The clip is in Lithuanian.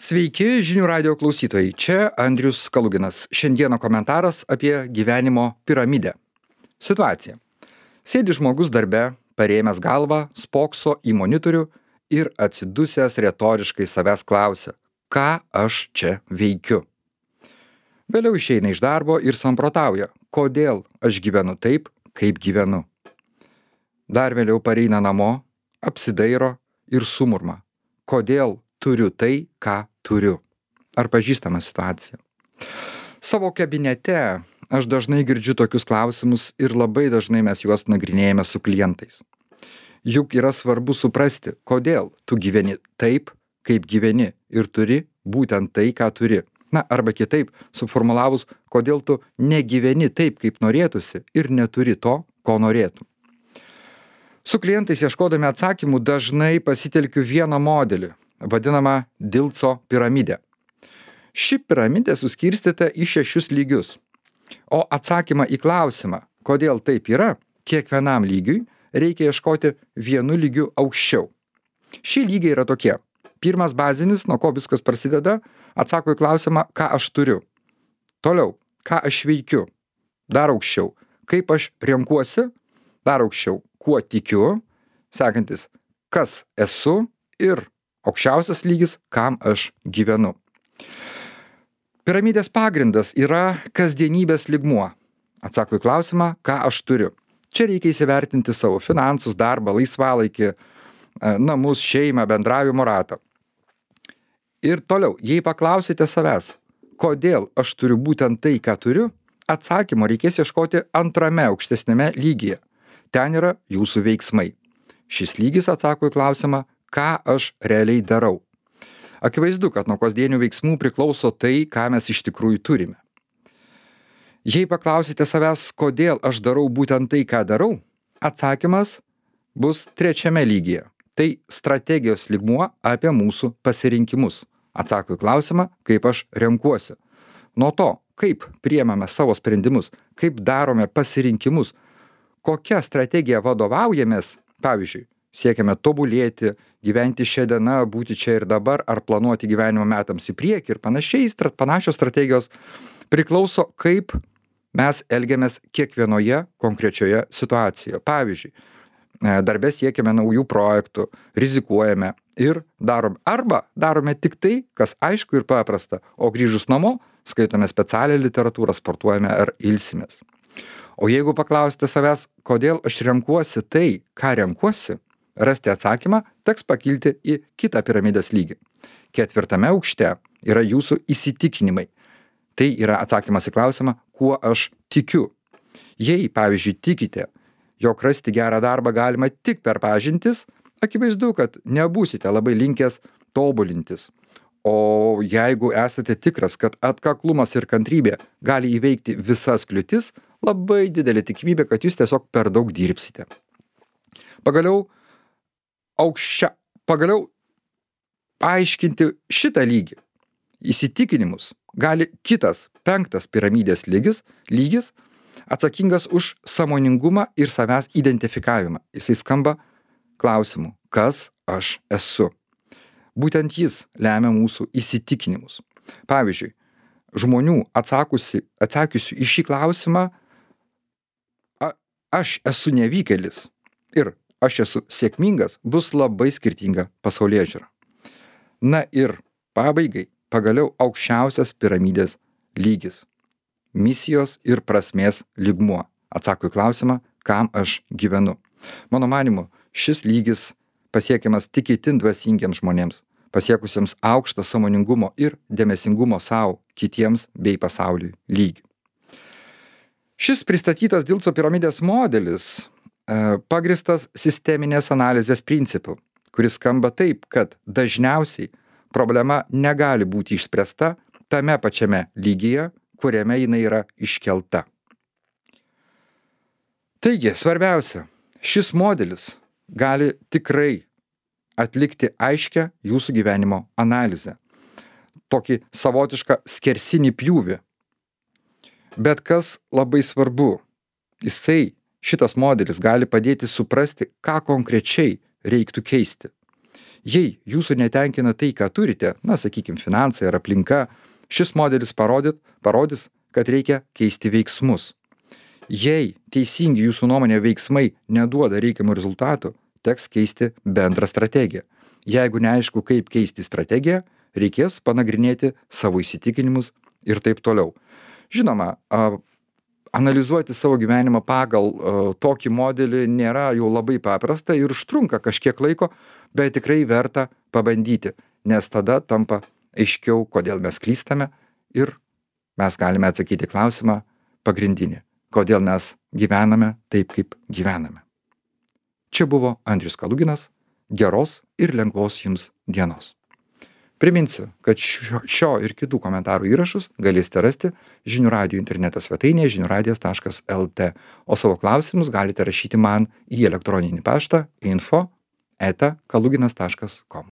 Sveiki, žinių radio klausytojai. Čia Andrius Kaluginas. Šiandieną komentaras apie gyvenimo piramidę. Situacija. Sėdi žmogus darbe, parėmęs galvą, spokso į monitorių ir atsidusęs retoriškai savęs klausia, ką aš čia veikiu. Vėliau išeina iš darbo ir samprotauja, kodėl aš gyvenu taip, kaip gyvenu. Dar vėliau pareina namo, apsidairo ir sumurma, kodėl turiu tai, ką turiu. Ar pažįstama situacija? Savo kabinete aš dažnai girdžiu tokius klausimus ir labai dažnai mes juos nagrinėjame su klientais. Juk yra svarbu suprasti, kodėl tu gyveni taip, kaip gyveni ir turi būtent tai, ką turi. Na, arba kitaip suformulavus, kodėl tu negyveni taip, kaip norėtųsi ir neturi to, ko norėtum. Su klientais ieškodami atsakymų dažnai pasitelkiu vieną modelį, vadinamą Dilco piramidę. Ši piramidė suskirstyta į 6 lygius, o atsakymą į klausimą, kodėl taip yra, kiekvienam lygiui reikia ieškoti vienu lygiu aukščiau. Šie lygiai yra tokie. Pirmas bazinis, nuo ko viskas prasideda, atsako į klausimą, ką aš turiu. Toliau, ką aš veikiu. Dar aukščiau, kaip aš renkuosi. Dar aukščiau, kuo tikiu. Sekantis, kas esu ir aukščiausias lygis, kam aš gyvenu. Piramidės pagrindas yra kasdienybės lygmuo. Atsako į klausimą, ką aš turiu. Čia reikia įsivertinti savo finansus, darbą, laisvalaikį, namus, šeimą, bendravimo ratą. Ir toliau, jei paklausite savęs, kodėl aš turiu būtent tai, ką turiu, atsakymo reikės ieškoti antrame aukštesnėme lygyje. Ten yra jūsų veiksmai. Šis lygis atsako į klausimą, ką aš realiai darau. Akivaizdu, kad nuo kasdienių veiksmų priklauso tai, ką mes iš tikrųjų turime. Jei paklausite savęs, kodėl aš darau būtent tai, ką darau, atsakymas bus trečiame lygyje. Tai strategijos lygmuo apie mūsų pasirinkimus. Atsako į klausimą, kaip aš renkuosi. Nuo to, kaip priemame savo sprendimus, kaip darome pasirinkimus, kokia strategija vadovaujamės, pavyzdžiui, siekiame tobulėti, gyventi šią dieną, būti čia ir dabar, ar planuoti gyvenimo metams į priekį ir panašios strategijos, priklauso, kaip mes elgiamės kiekvienoje konkrečioje situacijoje. Pavyzdžiui, darbe siekiame naujų projektų, rizikuojame ir darome tik tai, kas aišku ir paprasta, o grįžus namo skaitome specialią literatūrą, sportuojame ar ilsimės. O jeigu paklausite savęs, kodėl aš renkuosi tai, ką renkuosi, rasti atsakymą teks pakilti į kitą piramidės lygį. 4 aukšte yra jūsų įsitikinimai. Tai yra atsakymas į klausimą, kuo aš tikiu. Jei, pavyzdžiui, tikite, jog rasti gerą darbą galima tik per pažintis, akivaizdu, kad nebūsite labai linkęs tobulintis. O jeigu esate tikras, kad atkaklumas ir kantrybė gali įveikti visas kliūtis, labai didelė tikimybė, kad jūs tiesiog per daug dirbsite. Pagaliau paaiškinti šitą lygį, įsitikinimus, gali kitas 5 piramidės lygis, atsakingas už sąmoningumą ir savęs identifikavimą. Jisai skamba klausimu, kas aš esu. Būtent jis lemia mūsų įsitikinimus. Pavyzdžiui, žmonių atsakiusių į šį klausimą, aš esu nevykėlis ir aš esu sėkmingas, bus labai skirtinga pasaulėžiūra. Na ir pabaigai, pagaliau aukščiausias piramidės lygis. Misijos ir prasmės lygmuo. Atsako į klausimą, kam aš gyvenu. Mano manymu, šis lygis pasiekiamas tik itin dvasingiems žmonėms, pasiekusiems aukštą sąmoningumo ir dėmesingumo savo, kitiems bei pasauliui lygį. Šis pristatytas Dilco piramidės modelis pagristas sisteminės analizės principu, kuris skamba taip, kad dažniausiai problema negali būti išspręsta tame pačiame lygyje, kuriame jinai yra iškelta. Taigi, svarbiausia, šis modelis gali tikrai atlikti aiškią jūsų gyvenimo analizę. Tokį savotišką skersinį pjūvį. Bet kas labai svarbu, šitas modelis gali padėti suprasti, ką konkrečiai reiktų keisti. Jei jūsų netenkina tai, ką turite, na, sakykim, finansai ar aplinka, šis modelis parodys, kad reikia keisti veiksmus. Jei teisingi jūsų nuomonė veiksmai neduoda reikiamų rezultatų, teks keisti bendrą strategiją. Jeigu neaišku, kaip keisti strategiją, reikės panagrinėti savo įsitikinimus ir taip toliau. Žinoma, analizuoti savo gyvenimą pagal tokį modelį nėra jau labai paprasta ir užtrunka kažkiek laiko, bet tikrai verta pabandyti, nes tada tampa aiškiau, kodėl mes klystame ir mes galime atsakyti klausimą pagrindinį, kodėl mes gyvename taip, kaip gyvename. Čia buvo Andrius Kaluginas. Geros ir lengvos jums dienos. Priminsiu, kad šio ir kitų komentarų įrašus galėsite rasti Žinių radijo interneto svetainėje žiniuradijas.lt, o savo klausimus galite rašyti man į elektroninį paštą info@kaluginas.com.